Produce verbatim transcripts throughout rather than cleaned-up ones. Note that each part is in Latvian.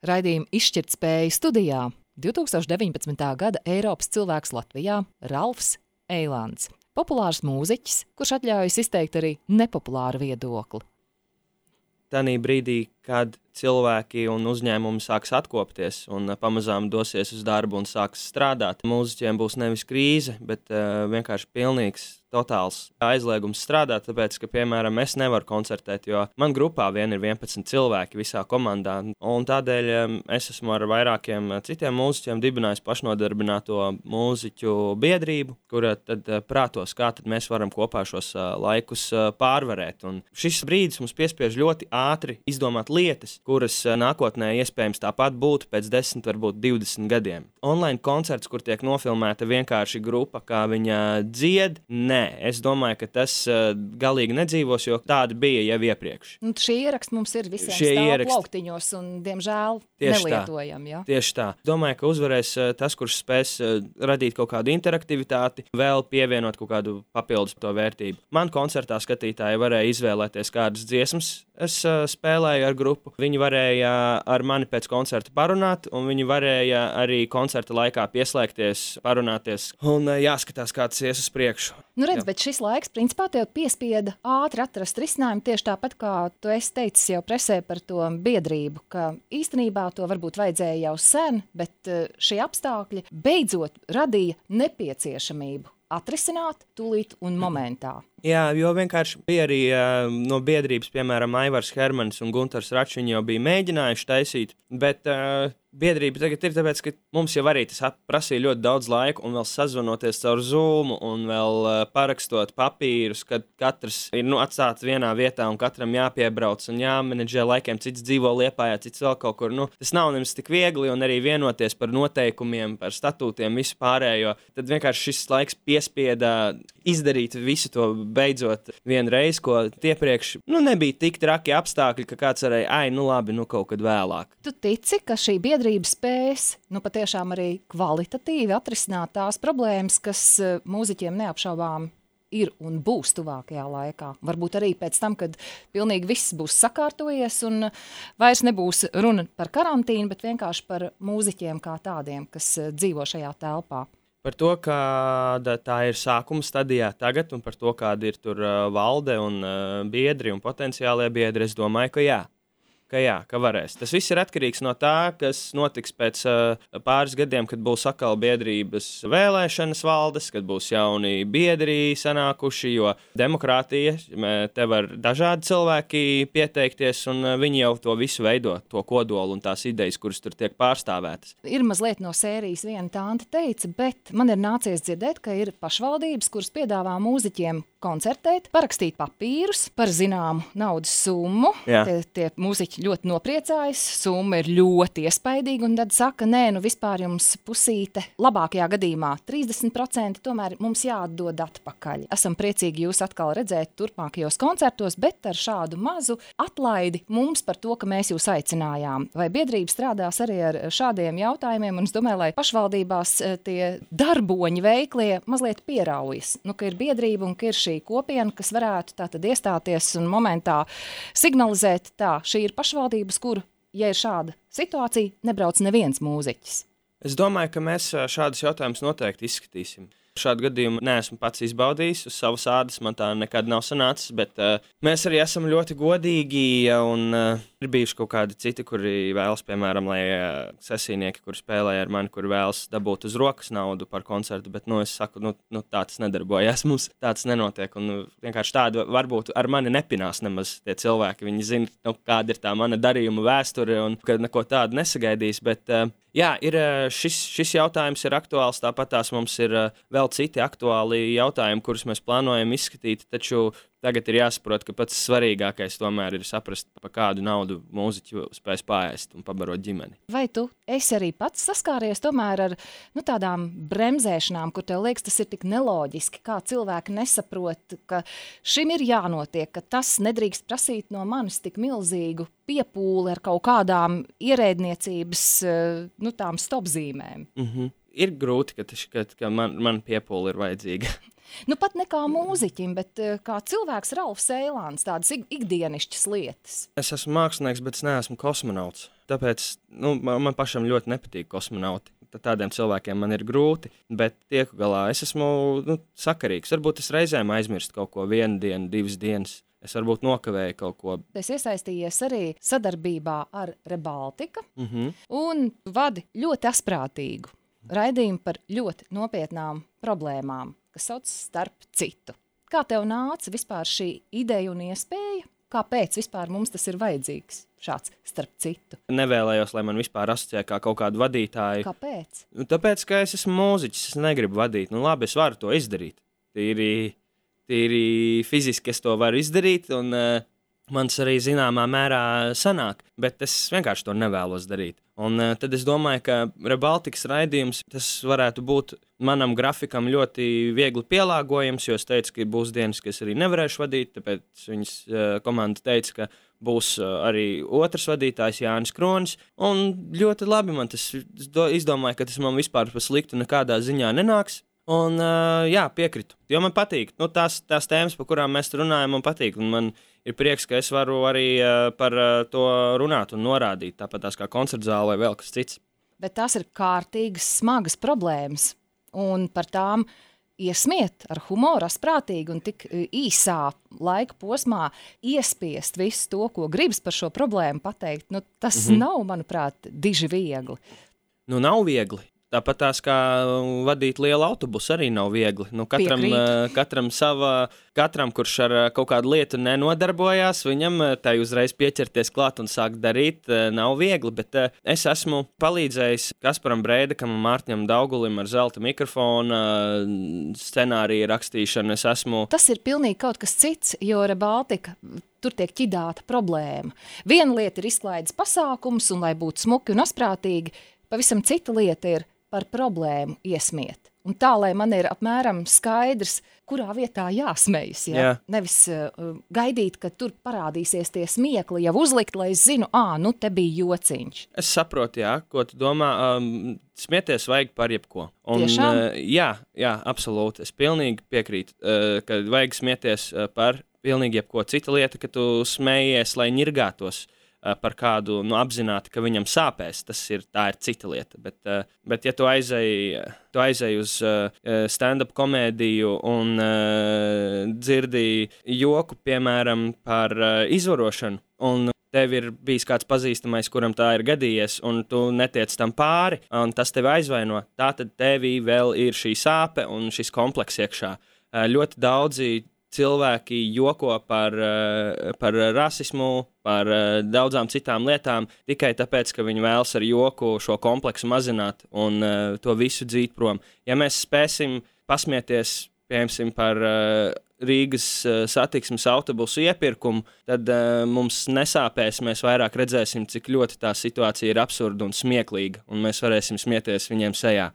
Raidījuma Izšķirtspēja studijā divtūkstoš deviņpadsmitā gada Eiropas cilvēks Latvijā Ralfs Eilands. Populārs mūziķis, kurš atļaujas izteikt arī nepopulāru viedokli. Tanī brīdī, kad cilvēki un uzņēmumi sāks atkopties un pamazām dosies uz darbu un sāks strādāt, mūziķiem būs nevis krīze, bet uh, vienkārši pilnīgs, totāls aizliegums strādāt, tāpēc, ka, piemēram, es nevaru koncertēt, jo man grupā vien ir vienpadsmit cilvēki visā komandā, un tādēļ um, es esmu ar vairākiem citiem mūziķiem dibinājis pašnodarbināto mūziķu biedrību, kura tad uh, prātos, kā tad mēs varam kopā šos uh, laikus uh, pārvarēt. Un šis brīdis mums piespiež ļoti ātri izdomāt lietas, kuras nākotnē iespējams tāpat būtu pēc desmit, varbūt divdesmit gadiem. Online koncerts, kur tiek nofilmēta vienkārši grupa, kā viņa dzied, nē, es domāju, ka tas uh, galīgi nedzīvos, jo tāda bija jau iepriekš. Un šī ieraksta mums ir visiem Šie stāv ieraksti... plauktiņos un, diemžēl, Tieši nelietojam. Ja? Tieši tā. Domāju, ka uzvarēs uh, tas, kurš spēs uh, radīt kaut kādu interaktivitāti, vēl pievienot kaut kādu papildus to vērtību. Man koncertā skatītāji varēja izvēlēties kādas dziesmas, es uh, spēlēju ar grupu. Viņi varēja ar mani pēc koncerta parunāt, un viņi varēja arī koncerta laikā pieslēgties, parunāties un uh, jāskatās, kā tas ies uz priekšu. Nu redz, Jā. bet šis laiks, principā, tev piespieda ātri atrast risinājumu tieši tāpat, kā tu esi teicis jau presē par to biedrību, ka īstenībā to varbūt vajadzēja jau sen, bet uh, šie apstākļi beidzot radīja nepieciešamību atrisināt tūlīt un momentā. Jā, jo vienkārši bija arī uh, no biedrības, piemēram, Aivars Hermanis un Guntars Račs, viņi jau bija mēģinājuši taisīt, bet uh, biedrība tagad ir tāpēc, ka mums jau arī tas prasīja ļoti daudz laika un vēl sazvanoties caur Zoom un vēl uh, parakstot papīrus, kad katrs ir nu, atstāts vienā vietā un katram jāpiebrauc un jāmenedžē laikiem, cits dzīvo Liepājā, cits vēl kaut kur. Nu, tas nav nemaz tik viegli un arī vienoties par noteikumiem, par statūtiem, visu pārējo. Tad vienkārši šis laiks piespieda izdarīt visu to beidzot vienreiz, ko tiepriekš nu, nebija tik traki apstākļi, ka kāds varēja, ai, nu labi, nu kaut kad vēlāk. Tu tici, ka šī biedrība spēs, nu patiešām arī kvalitatīvi atrisināt tās problēmas, kas mūziķiem neapšaubām ir un būs tuvākajā laikā? Varbūt arī pēc tam, kad pilnīgi viss būs sakārtojies un vairs nebūs runa par karantīnu, bet vienkārši par mūziķiem kā tādiem, kas dzīvo šajā telpā. Par to, kāda tā ir sākuma stadijā tagad un par to, kāda ir tur uh, valde un uh, biedri un potenciālie biedri, es domāju, ka jā. Ka jā, ka varēs. Tas viss ir atkarīgs no tā, kas notiks pēc uh, pāris gadiem, kad būs atkal biedrības vēlēšanas valdes, kad būs jauni biedri sanākuši, jo demokrātija, te var dažādi cilvēki pieteikties, un uh, viņi jau to visu veido, to kodolu un tās idejas, kuras tur tiek pārstāvētas. Ir mazliet no sērijas viena tante teica, bet man ir nācies dzirdēt, ka ir pašvaldības, kuras piedāvā mūziķiem koncertēt, parakstīt papīrus par zināmu naudas summu. Tie, tie mūziķi ļoti nopriecājas, summa ir ļoti iespaidīga, un tad saka, nē, nu vispār jums pusīte, labākajā gadījumā trīsdesmit procenti tomēr mums jāatdod atpakaļ. Esam priecīgi jūs atkal redzēt turpmākajos koncertos, bet ar šādu mazu atlaidi mums par to, ka mēs jūs aicinājām. Vai biedrība strādās arī ar šādiem jautājumiem, un es domāju, lai pašvaldībās tie darboņi veiklie mazliet pieraujas, nu, ka ir biedrība un ka ir šī kopiena, kas varētu tātad iestāties un momentā signalizēt tā, šī ir pašvaldības, kur, ja ir šāda situācija, nebrauc neviens mūziķis. Es domāju, ka mēs šādus jautājumus noteikti izskatīsim. Šādu gadījumu neesmu pats izbaudījis, uz savas ādas man tā nekad nav sanācis, bet uh, mēs arī esam ļoti godīgi un uh, ir bijuši kaut kādi citi, kuri vēlas, piemēram, lai uh, sesijnieki, kuri spēlē ar mani, kuri vēlas dabūt uz rokas naudu par koncertu, bet, nu, es saku, nu, nu tā tas nedarbojas, mums tāds nenotiek, un nu, vienkārši tādu varbūt ar mani nepinās nemaz tie cilvēki, viņi zina, nu, kāda ir tā mana darījuma vēsture un kad neko tādu nesagaidīs, bet, uh, jā, ir, šis, šis jautājums ir aktuāls, tāpat tās mums ir uh, vēl citi aktuāli jautājumi, kurus mēs plānojam izskatīt, taču tagad ir jāsaprot, ka pats svarīgākais tomēr ir saprast, pa kādu naudu mūziķu spēs paēst un pabarot ģimeni. Vai tu esi arī pats saskāries tomēr ar nu, tādām bremzēšanām, kur tev liekas, tas ir tik neloģiski, kā cilvēki nesaprot, ka šim ir jānotiek, ka tas nedrīkst prasīt no manis tik milzīgu piepūli ar kaut kādām ierēdniecības nu, tām stopzīmēm? Mhm. ir grūti, ka, ka, ka man, man piepūle ir vajadzīga. Nu, pat ne kā mūziķim, bet kā cilvēks Ralfs Eilāns, tādas ikdienišķas lietas. Es esmu mākslinieks, bet es neesmu kosmonauts. Tāpēc nu, man, man pašam ļoti nepatīk kosmonauti. Tādiem cilvēkiem man ir grūti, bet tieku galā es esmu nu, sakarīgs. Varbūt es reizēm aizmirstu kaut ko vienu dienu, divas dienas. Es varbūt nokavēju kaut ko. Es iesaistījies arī sadarbībā ar Rebaltika mm-hmm. un vadi ļoti asprātīgu raidījumu par ļoti nopietnām problēmām, kas sauc starp citu. Kā tev nāca vispār šī ideja un iespēja? Kāpēc vispār mums tas ir vajadzīgs, šāds starp citu? Nevēlējos, lai man vispār asociē kā kaut kādu vadītāju. Kāpēc? Nu, tāpēc, ka es esmu mūziķis, es negribu vadīt. Nu labi, es varu to izdarīt. Tīri, tīri fiziski es to varu izdarīt, un uh, mans arī zināmā mērā sanāk, bet es vienkārši to nevēlos darīt. Un uh, tad es domāju, ka Rebaltikas raidījums, tas varētu būt manam grafikam ļoti viegli pielāgojams, jo es teicu, ka būs dienas, ka es arī nevarēšu vadīt, tāpēc viņas uh, komanda teica, ka būs uh, arī otrs vadītājs Jānis Kronis, un ļoti labi man tas, es do, izdomāju, ka tas man vispār pa sliktu nekādā ziņā nenāks. Un, uh, jā, piekritu, jo man patīk. Nu, tās, tās tēmas, par kurām mēs runājam, man patīk. Un man ir prieks, ka es varu arī uh, par uh, to runāt un norādīt, tāpat tās kā koncertzāle vai vēl kas cits. Bet tās ir kārtīgas, smagas problēmas. Un par tām iesmiet ar humoru, asprātīgi un tik īsā laika posmā iespiest visu to, ko gribas par šo problēmu pateikt. Nu, tas mm-hmm. nav, manuprāt, diži viegli. Nu, nav viegli. Tāpat tās kā vadīt lielu autobusu arī nav viegli. Nu, katram, katram, sava, katram, kurš ar kaut kādu lietu nenodarbojās, viņam tai uzreiz pieķerties klāt un sākt darīt, nav viegli. Bet es esmu palīdzējis Kasparam Breidekam un Mārtiņam Daugulim ar zelta mikrofona scenāriju rakstīšanu. Es esmu... Tas ir pilnīgi kaut kas cits, jo Rebaltika... Tur tiek ķidāta problēma. Viena lieta ir izklaides pasākums, un lai būtu smuki un asprātīgi, pavisam cita lieta ir par problēmu iesmiet. Un tā, lai man ir apmēram skaidrs, kurā vietā jāsmejas. Ja? Jā. Nevis uh, gaidīt, ka tur parādīsies tie smiekli, jau uzlikt, lai es zinu, ā, nu te bija jociņš. Es saprotu, jā, ko tu domā. Um, smieties vajag par jebko. Un, Tiešām? Uh, jā, jā, absolūti. Es pilnīgi piekrītu, uh, ka vajag smieties uh, par pilnīgi jebko. Cita lieta, ka tu smējies, lai ņirgātos par kādu, nu, apzināti, ka viņam sāpēs, tas ir, tā ir cita lieta. Bet, uh, bet ja tu aizēji, tu aizēji uz uh, stand-up komēdiju un uh, dzirdi joku, piemēram, par uh, izvarošanu, un tev ir bijis kāds pazīstamais, kuram tā ir gadījies, un tu netiec tam pāri, un tas tevi aizvaino, tā tad tevī vēl ir šī sāpe un šis kompleks iekšā. Uh, ļoti daudzi cilvēki joko par, par rasismu, par daudzām citām lietām, tikai tāpēc, ka viņi vēlas ar joku šo kompleksu mazināt un uh, to visu dzīt prom. Ja mēs spēsim pasmieties, piemēram, par uh, Rīgas uh, satiksmes autobusu iepirkumu, tad uh, mums nesāpēs, mēs vairāk redzēsim, cik ļoti tā situācija ir absurda un smieklīga, un mēs varēsim smieties viņiem sejā.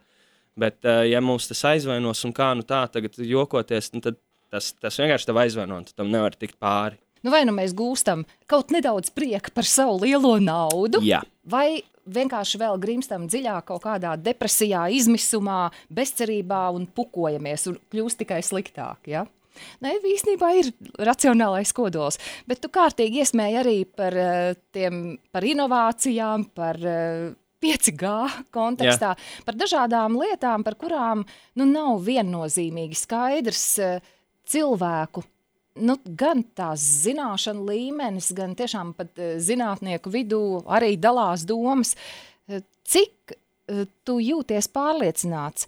Bet, uh, ja mums tas aizvainos un kā nu tā tagad jokoties, nu tad Tas, tas vienkārši tev aizvaino, un tu tam nevar tikt pāri. Nu vai nu mēs gūstam kaut nedaudz prieka par savu lielo naudu, Jā. vai vienkārši vēl grimstam dziļāk kaut kādā depresijā, izmisumā, bezcerībā un pukojamies un kļūst tikai sliktāk, ja? Nē, īstenībā ir racionālais kodols, bet tu kārtīgi iesmēji arī par, tiem, par inovācijām, par pieci G kontekstā, Jā. Par dažādām lietām, par kurām nu, nav viennozīmīgi skaidrs cilvēku, nu, gan tās zināšana līmenis, gan tiešām pat zinātnieku vidū arī dalās domas. Cik tu jūties pārliecināts,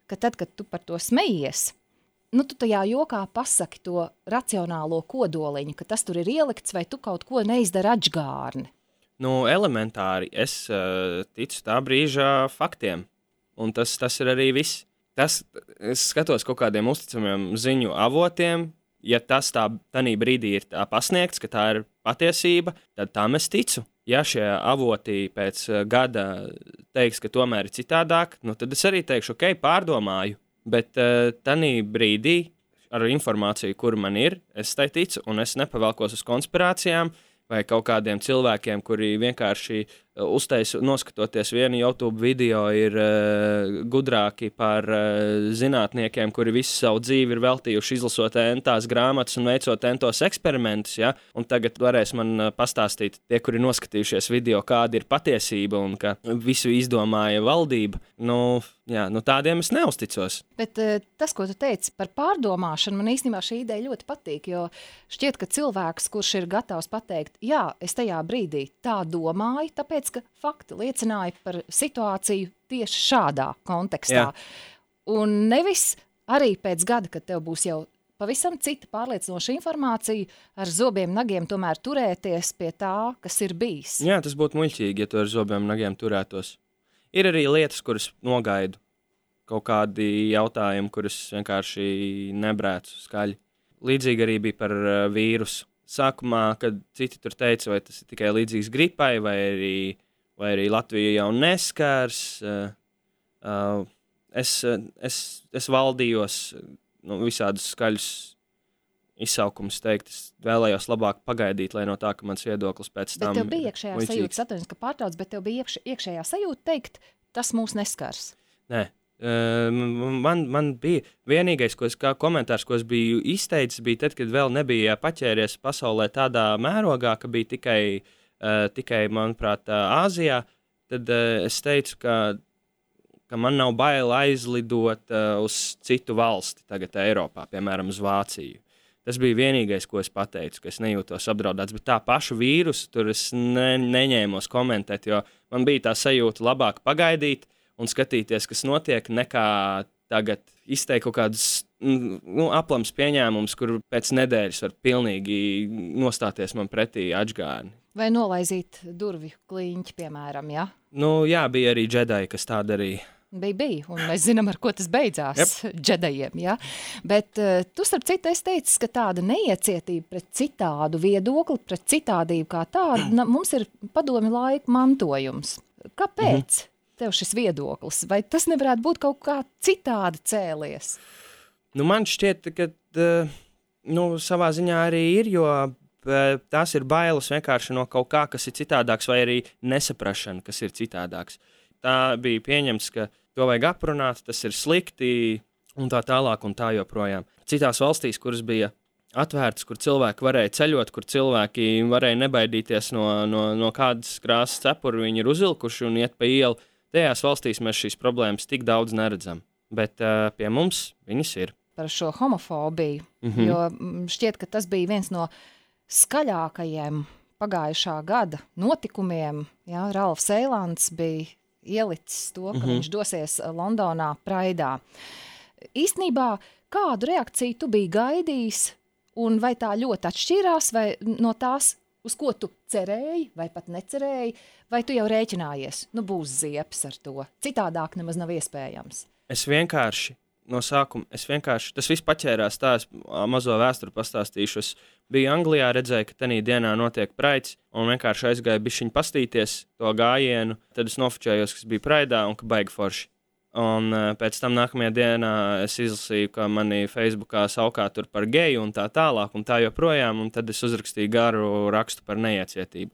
ka tad, kad tu par to smejies, nu, tu tajā jokā pasaki to racionālo kodoliņu, ka tas tur ir ielikts, vai tu kaut ko neizdara atžgārni? Nu, elementāri. Es uh, ticu tā brīža faktiem, un tas, tas ir arī viss. Tas, es skatos kaut kādiem uzticamiem ziņu avotiem, ja tas tā tanī brīdī ir tā pasniegts, ka tā ir patiesība, tad tam es ticu. Ja šie avoti pēc gada teiks, ka tomēr ir citādāk, nu tad es arī teikšu, ok, pārdomāju, bet uh, tanī brīdī ar informāciju, kur man ir, es tai ticu, un es nepavelkos uz konspirācijām vai kaut kādiem cilvēkiem, kuri vienkārši uztaisu, noskatoties vienu YouTube video, ir uh, gudrāki par uh, zinātniekiem, kuri visu savu dzīvi ir veltījuši izlasot entās grāmatas un veicot entos eksperimentus, ja? Un tagad varēs man uh, pastāstīt tie, kuri noskatījušies video, kāda ir patiesība un ka visu izdomāja valdība. Nu, jā, nu tādiem es neusticos. Bet uh, tas, ko tu teici par pārdomāšanu, man īstenībā šī ideja ļoti patīk, jo šķiet, ka cilvēks, kurš ir gatavs pateikt, jā, es tajā brīdī tā domāju, tāpēc, ka fakti liecināja par situāciju tieši šādā kontekstā. Jā. Un nevis arī pēc gada, kad tev būs jau pavisam cita pārliecinoša informācija, ar zobiem nagiem tomēr turēties pie tā, kas ir bijis. Jā, tas būtu muļķīgi, ja tu ar zobiem nagiem turētos. Ir arī lietas, kuras nogaidu. Kaut kādi jautājumi, kurus vienkārši nebrēcu skaļi. Līdzīgi arī bija par uh, vīrusu. Sākumā, kad citi tur teica, vai tas ir tikai līdzīgs gripai, vai arī, vai arī Latvija jau neskars, uh, uh, es, es, es valdījos nu, visādus skaļus izsaukumus teikt. Es vēlējos labāk pagaidīt, lai no tā, ka mans viedoklis pēc tam... Bet tev bija iekšējā muļķīgs. sajūta, atvainojies, ka pārtrauc, bet tev bija iekš, iekšējā sajūta teikt, tas mūs neskars. Nē. Uh, man, man bija vienīgais, ko es, kā komentārs, ko es biju izteicis, bija tad, kad vēl nebija paķēries pasaulē tādā mērogā, ka bija tikai, uh, tikai manuprāt, uh, Āzijā, tad uh, es teicu, ka, ka man nav bail aizlidot uh, uz citu valsti tagad Eiropā, piemēram, uz Vāciju. Tas bija vienīgais, ko es pateicu, ka es nejūtos apdraudēts, bet tā pašu vīrusu tur es ne, neņēmos komentēt, jo man bija tā sajūta labāk pagaidīt, un skatīties, kas notiek, nekā tagad izteikt kaut kādus nu, aplams pieņēmumus, kur pēc nedēļas var pilnīgi nostāties man pretī atžgāni. Vai nolaizīt durvju kliņķi, piemēram, ja? Nu, jā, bija arī džedai, kas tā darīja. Bija, bija, un mēs zinām, ar ko tas beidzās yep. džedajiem, ja? Bet uh, tu, starp citu, es teicu, ka tāda neiecietība pret citādu viedokli, pret citādību kā tāda, na, mums ir padomi laika mantojums. Kāpēc? Mm-hmm. Tev šis viedoklis, vai tas nevarētu būt kaut kā citādi cēlies? Nu, man šķiet, ka nu, savā ziņā arī ir, jo tās ir bailes vienkārši no kaut kā, kas ir citādāks, vai arī nesaprašana, kas ir citādāks. Tā bija pieņemts, ka to vajag aprunāt, tas ir slikti, un tā tālāk, un tā joprojām. Citās valstīs, kuras bija atvērtas, kur cilvēki varēja ceļot, kur cilvēki varēja nebaidīties no, no, no kādas krāsas cepura, viņi ir uzilkuši un iet pa ielu. Tajās valstīs mēs šīs problēmas tik daudz neredzam, bet uh, pie mums viņas ir. Par šo homofobiju, mm-hmm. jo šķiet, ka tas bija viens no skaļākajiem pagājušā gada notikumiem. Jā, Ralfs Eilants bija ielicis to, ka mm-hmm. viņš dosies Londonā Praidā. Īstenībā, kādu reakciju tu biji gaidījis, un vai tā ļoti atšķīrās, vai no tās, uz ko tu cerēji, vai pat necerēji, vai tu jau rēķinājies? Nu, būs ziepes ar to. Citādāk nemaz nav iespējams. Es vienkārši, no sākuma, es vienkārši, tas viss paķērās tā, es mazo vēsturi pastāstīšu. Es biju Anglijā, redzēju, ka tanī dienā notiek praids, un vienkārši aizgāju bišķiņ pastīties to gājienu. Tad es nofočējos, kas bija praidā un ka baigi forši. Un uh, pēc tam nākamajā dienā es izlasīju, ka mani Facebookā saukā tur par geju un tā tālāk, un tā joprojām, un tad es uzrakstīju garu rakstu par neiecietību.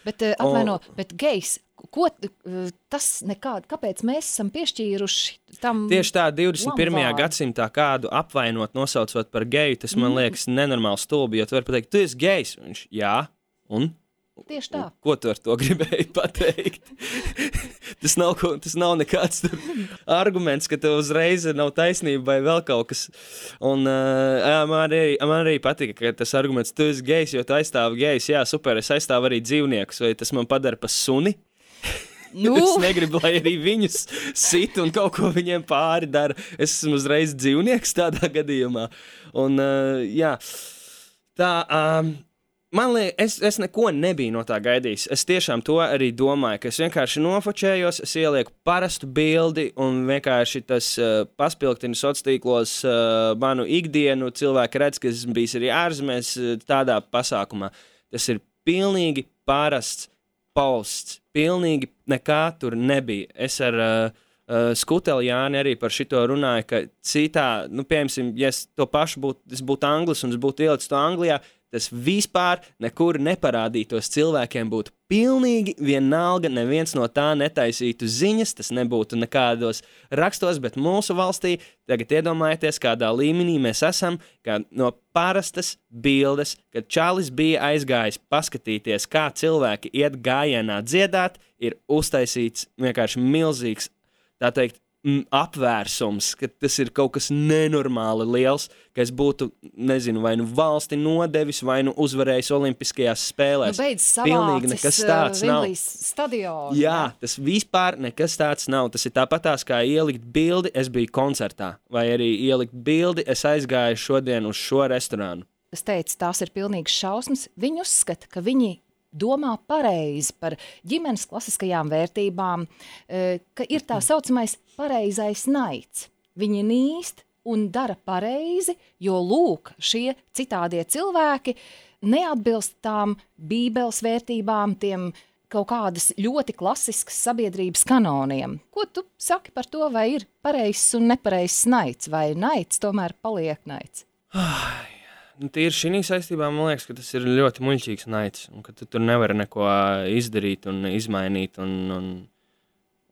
Bet, uh, atvaino, un, bet gejs, ko uh, tas nekād, kāpēc mēs esam piešķīruši tam tieši tā, divdesmit pirmajā gadsimtā kādu apvainot, nosaucot par geju, tas man mm. liekas nenormāli stulbi, jo tu vari pateikt, tu esi gejs, un viņš, jā, un? Tieši tā. Ko tu ar to gribēji pateikt? tas, nav, tas nav nekāds arguments, ka tev uzreiz nav taisnība vai vēl kaut kas. Un uh, man, arī, man arī patika, ka tas arguments, tu esi gejs, jo tu aizstāvi gejs. Jā, super, es aizstāvu arī dzīvniekus, vai tas man padara pa suni? Nu. Es negribu, lai arī viņus sit un kaut ko viņiem pāri dara. Es esmu uzreiz dzīvnieks tādā gadījumā. Un uh, jā, tā... Um, Man liekas, es, es neko nebiju no tā gaidījis. Es tiešām to arī domāju, ka es vienkārši nofočējos, es ielieku parastu bildi un vienkārši tas uh, paspilgtina sociālos tīklos uh, manu ikdienu. Cilvēki redz, ka esmu bijis arī ārzemēs uh, tādā pasākumā. Tas ir pilnīgi parasts posts. Pilnīgi nekā tur nebija. Es ar uh, uh, Skuteli Jāni arī par šito runāju, ka citā, nu, piemēram, ja es to pašu būtu, es būtu anglis un es būtu ielicis to Anglijā, tas vispār nekur neparādītos, cilvēkiem būtu pilnīgi vienalga, neviens no tā netaisītu ziņas, tas nebūtu nekādos rakstos, bet mūsu valstī, tagad iedomājieties, kādā līmenī mēs esam, kā no parastas bildes, kad Čalis bija aizgājis paskatīties, kā cilvēki iet gājienā dziedāt, ir uztaisīts vienkārši milzīgs, tā teikt, apvērsums, ka tas ir kaut kas nenormāli liels, ka es būtu, nezinu, vai nu valsti nodevis, vai nu uzvarējis olimpiskajās spēlēs. Nu beidz Pilnīgi nekas tāds uh, nav. Stadionu. Jā, tas vispār nekas tāds nav. Tas ir tāpatās kā ielikt bildi, es biju koncertā, vai arī ielikt bildi, es aizgāju šodien uz šo restorānu. Es teicu, tās ir pilnīgas šausmas. Viņi uzskata, ka viņi domā pareizi par ģimenes klasiskajām vērtībām, ka ir tā saucamais pareizais naids. Viņi nīst un dara pareizi, jo lūk, šie citādie cilvēki neatbilst tām bībeles vērtībām, tiem kaut kādas ļoti klasiskas sabiedrības kanoniem. Ko tu saki par to, vai ir pareizs un nepareizs naids, vai naids tomēr paliek naids? Ai. Tīri šī saistībā man liekas, ka tas ir ļoti muļķīgs naids, un ka tu tur nevari neko izdarīt un izmainīt, un, un,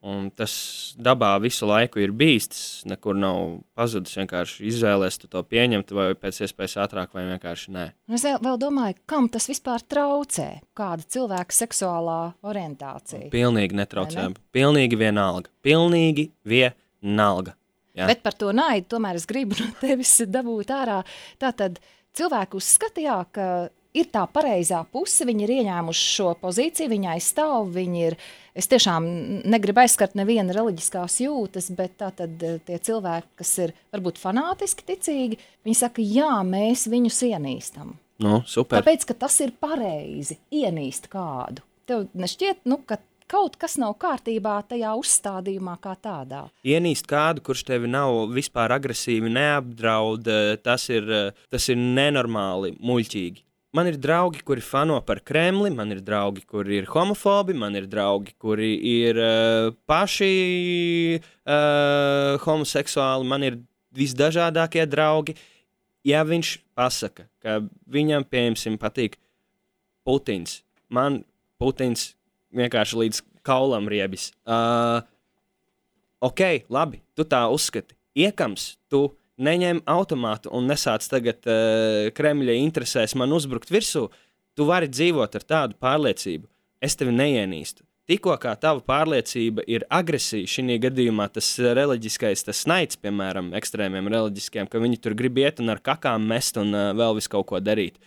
un tas dabā visu laiku ir bijis, tas nekur nav pazudis, vienkārši izvēlēs tu to pieņemt, vai pēc iespējas ātrāk, vai vienkārši nē. Es vēl, vēl domāju, kam tas vispār traucē, kāda cilvēka seksuālā orientācija? Pilnīgi netraucē, ne? Pilnīgi vienalga, pilnīgi vienalga. Jā. Bet par to naidu tomēr es gribu no tevis dabūt ārā, tātad cilvēki uzskatījā, ka ir tā pareizā puse, viņi ir ieņēmuši šo pozīciju, viņi aizstāv, viņi ir, es tiešām negribu aizskart neviena reliģiskās jūtas, bet tātad tie cilvēki, kas ir varbūt fanātiski ticīgi, viņi saka, jā, mēs viņus ienīstam. Nu, super. Tāpēc, ka tas ir pareizi, ienīst kādu. Tev nešķiet, nu, ka kaut kas nav kārtībā tajā uzstādījumā kā tādā. Ienīst kādu, kurš tevi nav vispār agresīvi neapdraud, tas ir, tas ir nenormāli muļķīgi. Man ir draugi, kuri fano par Kremli, man ir draugi, kuri ir homofobi, man ir draugi, kuri ir uh, paši uh, homoseksuāli, man ir visdažādākie draugi. Ja viņš pasaka, ka viņam, pieņemsim, patīk Putins, man Putins vienkārši līdz kaulam riebis. Uh, ok, labi, tu tā uzskati. Iekams, tu neņem automātu un nesāc tagad uh, Kremļa interesēs man uzbrukt virsū. Tu vari dzīvot ar tādu pārliecību. Es tevi neienīstu. Tikko kā tava pārliecība ir agresija, šī gadījumā tas reliģiskais, tas naids, piemēram, ekstrēmiem reliģiskiem, ka viņi tur grib iet un ar kakām mest un uh, vēl visu kaut ko darīt.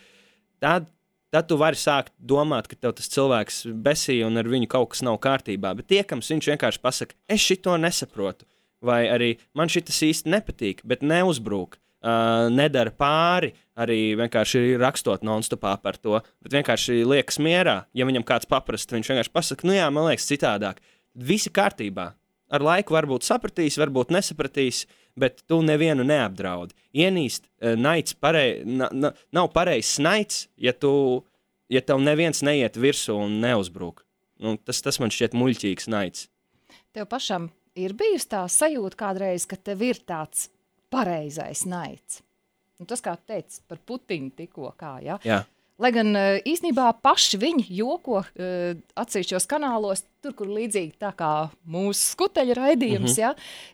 Tad Tad tu vari sākt domāt, ka tev tas cilvēks besīja un ar viņu kaut kas nav kārtībā, bet tiekams viņš vienkārši pasaka, es šito nesaprotu, vai arī man šitas īsti nepatīk, bet neuzbrūk, uh, nedara pāri, arī vienkārši rakstot non-stopā par to, bet vienkārši liekas mierā, ja viņam kāds paprast, viņš vienkārši pasaka, nu jā, man liekas citādāk, visi kārtībā. Ar laiku varbūt sapratīs, varbūt nesapratīs, bet tu nevienu neapdraudi. Ienīst, naids parei, na, na, nav pareizs naids, ja, tu, ja tev neviens neiet virsū un neuzbrūk. Nu, tas, tas man šķiet muļķīgs naids. Tev pašam ir bijusi tā sajūta kādreiz, ka tev ir tāds pareizais naids. Un tas, kā tu teici par Putinu tikko, kā, ja? Jā. Lai gan īstenībā paši viņi joko uh, atsevišķos kanālos, tur, kur līdzīgi tā kā mūsu skuteļa raidījums, mm-hmm. ja,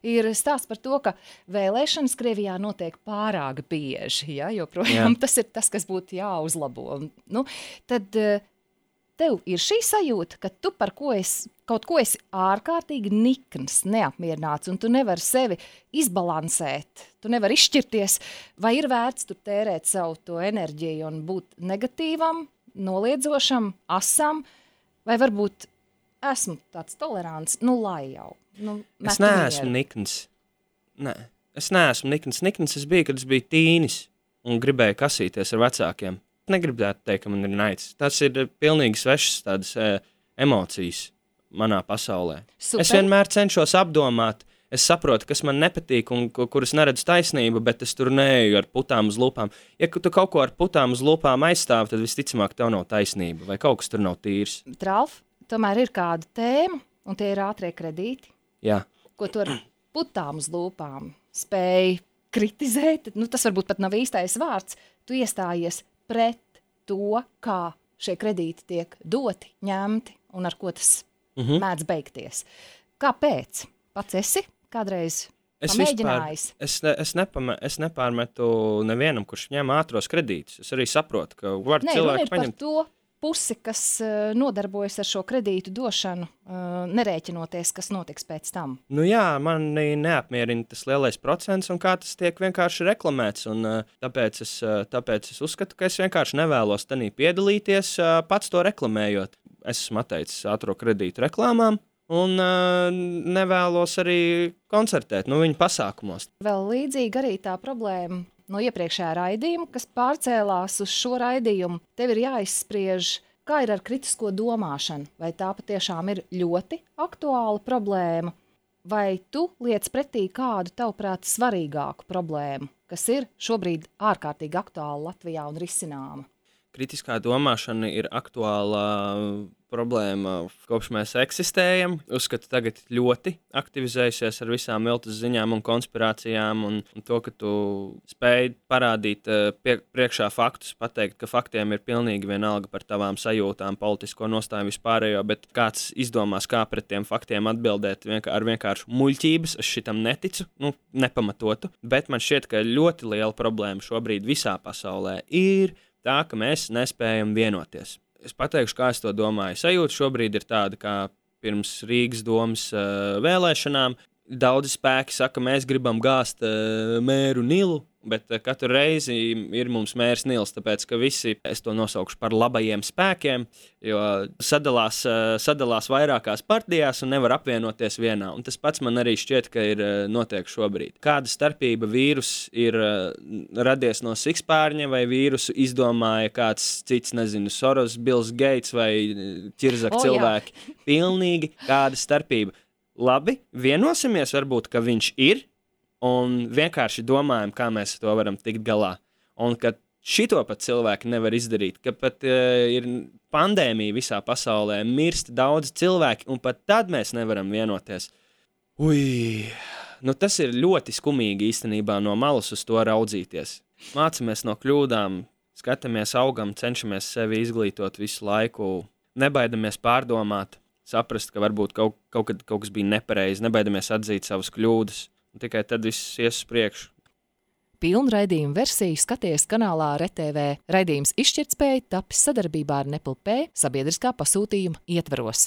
ir stāsts par to, ka vēlēšanas Krievijā notiek pārāk bieži, ja, jo projām tas ir tas, kas būtu jāuzlabo. Nu, tad uh, tev ir šī sajūta, ka tu par ko esi, kaut ko esi ārkārtīgi nikns, neapmierināts, un tu nevari sevi izbalansēt, tu nevari izšķirties, vai ir vērts tur tērēt savu to enerģiju un būt negatīvam, noliedzošam, asam, vai varbūt esmu tāds tolerants, nu lai jau. Nu, es neesmu nikns. Nē, es neesmu nikns. Nikns es biju, kad es biju tīnis un gribēju kasīties ar vecākiem. Negribētu teikt, ka man ir naids. Tas ir pilnīgi svešas tādas e, emocijas manā pasaulē. Super. Es vienmēr cenšos apdomāt, es saprotu, kas man nepatīk un kuras neredzu taisnību, bet es tur neeju ar putām uz lūpām. Ja tu kaut ko ar putām uz lūpām aizstāvi, tad visticamāk tev nav taisnība vai kaut kas tur nav tīrs. Tralf, tomēr ir kāda tēma, un tie ir ātrie kredīti. Jā. Ko tu ar putām uz lūpām spēj kritizēt, nu tas varbūt pat nav īstais vārds, tu iestājies pret to, kā šie kredīti tiek doti, ņemti un ar ko tas mm-hmm. mēdz beigties. Kāpēc? Pats esi kādreiz es pamēģinājis? Vispār, es, ne, es, nepama, es nepārmetu nevienam, kurš ņem ātros kredītus. Es arī saprotu, ka var Nē, cilvēki paņemt. paņemt. To pusi, kas uh, nodarbojas ar šo kredītu došanu, uh, nerēķinoties, kas notiks pēc tam. Nu jā, mani neapmierina tas lielais procents un kā tas tiek vienkārši reklamēts. Un, uh, tāpēc, es, uh, tāpēc es uzskatu, ka es vienkārši nevēlos tanī piedalīties, uh, pats to reklamējot. Es esmu atteicis ātro kredītu reklāmām. Un uh, nevēlos arī koncertēt, nu, viņu pasākumos. Vēl līdzīgi arī tā problēma no iepriekšējā raidījuma, kas pārcēlās uz šo raidījumu. Tev ir jāizspriež, kā ir ar kritisko domāšanu, vai tā patiešām ir ļoti aktuāla problēma, vai tu liec pretī kādu, tavuprāt, svarīgāku problēmu, kas ir šobrīd ārkārtīgi aktuāla Latvijā un risināma. Kritiskā domāšana ir aktuāla problēma, kopš mēs eksistējam. Uzskatu, tagad ļoti aktivizējusies ar visām viltus ziņām un konspirācijām, un, un to, ka tu spēj parādīt pie, priekšā faktus, pateikt, ka faktiem ir pilnīgi vienalga par tavām sajūtām, politisko nostāju vispārējo, bet kāds izdomās, kā pret tiem faktiem atbildēt vienkār, ar vienkāršu muļķības, es šitam neticu, nu, nepamatotu, bet man šķiet, ka ļoti liela problēma šobrīd visā pasaulē ir tā, ka mēs nespējam vienoties. Es pateikšu, kā es to domāju. Sajūta šobrīd ir tāda, kā pirms Rīgas domas uh, vēlēšanām. Daudzi spēki saka, mēs gribam gāzt uh, mēru Nilu, bet uh, katru reizi ir mums mērs Nils, tāpēc, ka visi, es to nosaukšu par labajiem spēkiem, jo sadalās, uh, sadalās vairākās partijās un nevar apvienoties vienā. Un tas pats man arī šķiet, ka ir uh, notiek šobrīd. Kāda starpība vīrus ir uh, radies no sikspārņa, vai vīrusu izdomāja kāds cits, nezinu, Soros, Bills Gates vai ķirzak oh, cilvēki? Jā. Pilnīgi kāda starpība. Labi, vienosimies varbūt, ka viņš ir, un vienkārši domājam, kā mēs to varam tikt galā. Un ka šito pat cilvēki nevar izdarīt, ka pat uh, ir pandēmija visā pasaulē, mirst daudz cilvēki, un pat tad mēs nevaram vienoties. Ui, nu tas ir ļoti skumīgi īstenībā no malas uz to raudzīties. Mācamies no kļūdām, skatāmies augam, cenšamies sevi izglītot visu laiku, nebaidamies pārdomāt. Saprast, ka varbūt kaut, kaut, kad, kaut kas bija nepareizi, nebaidamies atzīt savas kļūdas, un tikai tad viss ies uz priekšu. Pilnu raidījumu versiju skaties kanālā R T V. Raidījums Izšķirtspēja tapis sadarbībā ar Nepl P sabiedriskā pasūtījuma ietvaros.